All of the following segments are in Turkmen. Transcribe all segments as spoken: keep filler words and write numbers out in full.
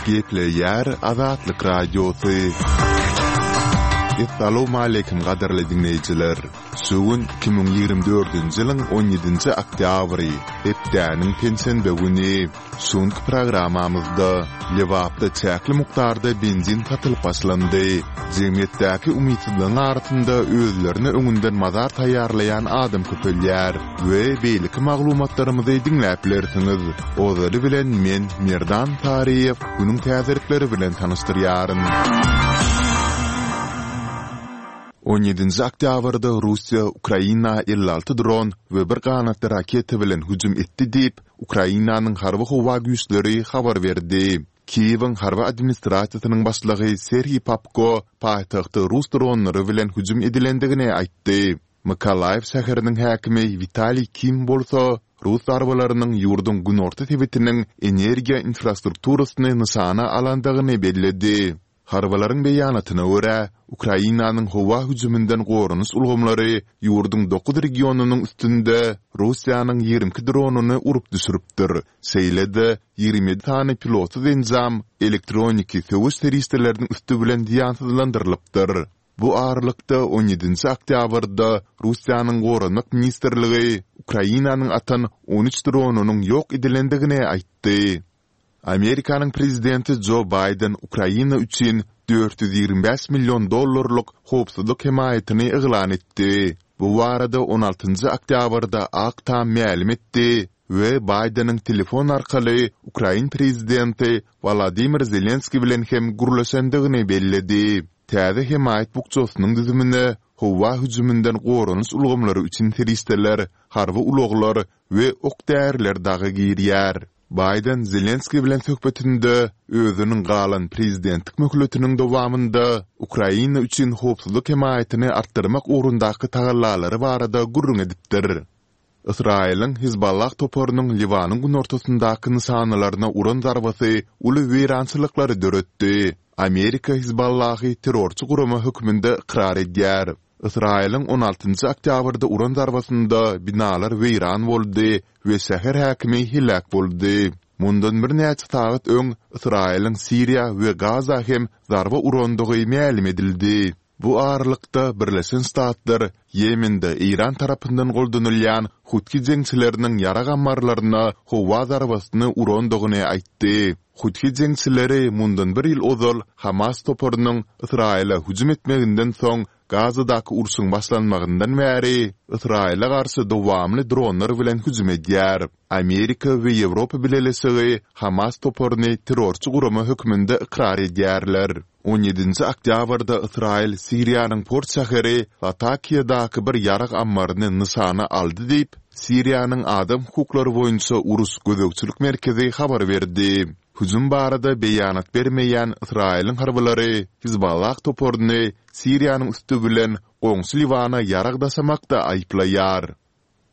Gepleýär Azatlyk Radiosy. Essalawmaleýkim gadyrly diňleýjiler! Şu gün iki müň ýigrimi dördünji ýylyň on ýedinji oktýabry, hepdäniň penşenbe güni. Şu günki programmamyzda Lebapda çäkli mukdarda benzin satylyp başlandy. Jemgyýetdäki umytsyzlygyň arasynda özlerine öňünden mazar taýýarlaýan adam köpelýär we beýleki maglumatlarymyzy diňläp bilersiňiz. Ozaly bilen men, Merdan Taryýew, günüň täzelikleri bilen tanyşdyrýaryn. On ýedinji oktýabrda Russiýa Ukraina elli alty dron we bir ganatly raketa bilen hüjüm etdi diýip, Ukrainanyň Harby-howa güýçleri habar berdi. Kiýewiň harby administrasiýasynyň başlygy Serhiý Popko paýtagta rus dronlary bilen hüjüm edilendigini aýtdy. Mykolaýiw şäheriniň häkimi Witaliý Kim bolsa, rus zarbalarynyň ýurduň günorta sebitiniň energiýa infrastrukturasyny nyşana alandygyny belledi. Harbylaryň beýanatyna görä, Ukrainanyň howa hüjüminden goranyş ulgamlary ýurduň dokuz regionynyň üstünde Russiýanyň ýigrimi iki dronyny urup düşüripdir, şeýle-de ýigrimi ýedi sany pilotsyz enjam elektroniki söweş serişdeleriniň üsti bilen zyýansyzlandyrylypdyr. Bu aralykda, on ýedinji oktýabrda Russiýanyň Goranmak ministrligi Ukrainanyň atan on üç dronynyň ýok edilendigini aýtdy. Amerikanyň prezidenti Jo Baýden Ukraina üçin dört ýüz ýigrimi bäş million dollarlyk howpsuzlyk hemaýatyny yglan etdi. Bu barada on altynjy oktýabrda Ak Tam mälim etdi we Baýdeniň telefon arkaly ukrain prezidenti Wolodymyr Zelenskiý bilen hem gürleşendigini belledi. Täze hemaýat bukjasynyň düzümine howa hüjüminden goranyş ulgamlary üçin serişdeler, harby ulaglar we ok-däriler dagy girýär. Baýden Zelenskiý bilen söhbetinde özüniň galan prezidentlik möhletiniň dowamynda Ukraina üçin howpsuzlyk hemaýatyny artdyrmak ugrundaky tagallalary barada gürrüň edipdir. Ysraýylyň Hizballah toparynyň Liwanyň günortasyndaky nyşanalaryna uran zarbasy uly weýrançylyklary döretdi. Amerika Hizballahy terrorçy gurama hökmünde ykrar edýär. Ysraýylyň on altynjy oktýabrda uran zarbasynda binalar weýran boldy we şäher häkimi heläk boldy. Mundan birnäçe sagat öň Ysraýylyň Siriýa we Gaza hem zarba urandygy mälim edildi. Bu aralykda, Birleşen Ştatlar Ýemende Eýran tarapyndan goldanylýan Hutgi jeňçileriniň ýarag ammarlaryna howa zarbasyny urandygyny aýtdy. Hutgi jeňçileri mundan bir ýyl ozal Hamas toparynyň Ysraýyla hüjüm etmeginden soň Gazadaky urşuň başlanmagyndan bäri Ysraýyla garşy dowamly dronlar bilen hüjüm edýär. Amerika we Ýewropa Bileleşigi Hamas toparyny terrorçy gurama hökmünde ykrar edýärler. On ýedinji oktýabrda Ysraýyl Siriýanyň port şäheri Latakiýadaky bir ýarag ammaryny nyşana aldy diýip, Siriýanyň Adam hukuklary boýunça uruş gözegçilik merkezi habar berdi. Hüjüm barada beýanat bermeýän Ysraýylyň harbylary Hizballah toparyny Siriýanyň üsti bilen goňşy Liwana ýarag daşamakda aýyplaýar.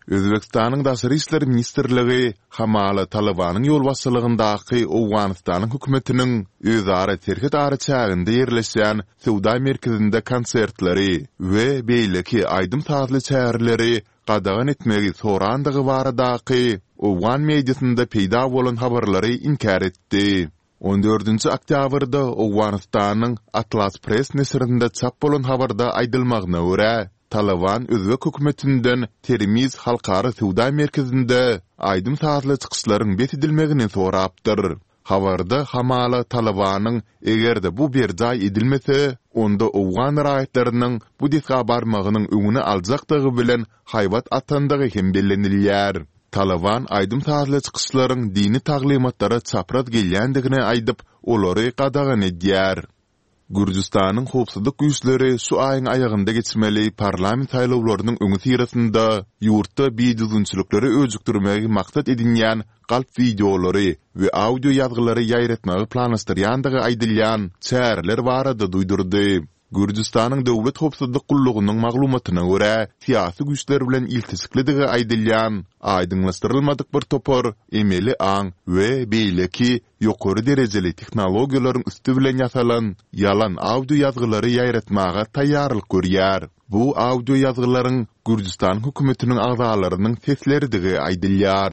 Özbegistanyň Daşary işler ministrligi hamala Talybanyň ýolbaşçylygyndaky Owganystanyň hökümetiniň özara serhet araçäginde ýerleşýän söwda merkezinde konsertleri we beýleki aýdym-sazly çäreleri gadagan etmegi sorandygy baradaky owgan mediasynda peýda bolan habarlary inkär etdi. On dördünji oktýabrda Owganystanyň Atlas Press neşirinde çap bolan habarda aýdylmagyna görä, Talyban özbek hökümetinden Termiz halkara söwda merkezinde aýdym-sazly çykyşlaryň bes edilmegini sorapdyr. Habarda hamala Talybanyň eger-de bu berjaý edilmese, onda owgan raýatlarynyň bu desga barmagynyň öňüni aljakdygy bilen haýbat atandygy hem bellenilýär. Talyban aýdym-sazly çykyşlaryň dini taglymatlara çapraz gelýändigini aýdyp, olary gadagan edýär. Gürjüstanyň howpsuzlyk güýçleri şu aýyň aýagynda geçmeli parlament saýlawlarynyň öňüsyrasynda ýurtda bidüzgünçilikleri öjükdirmegi maksat edinýän galp wideolary we audio ýazgylary ýaýratmagy planlaşdyrýandygy aýdylýan çäreler barada duýdurdy. Gürjüstanyň Döwlet howpsuzlyk gullugynyň maglumatyna görä, syýasy güýçler bilen ilteşiklidigi aýdylýan aýdyňlaşdyrylmadyk bir topar emeli aň we beýleki ýokary derejeli tehnologiýalaryň üsti bilen ýasalan ýalan audio ýazgylary ýaýratmaga taýýarlyk görýär. Bu audio ýazgylaryň Gürjüstanyň hökümetiniň agzalarynyň sesleridigi aýdylýar.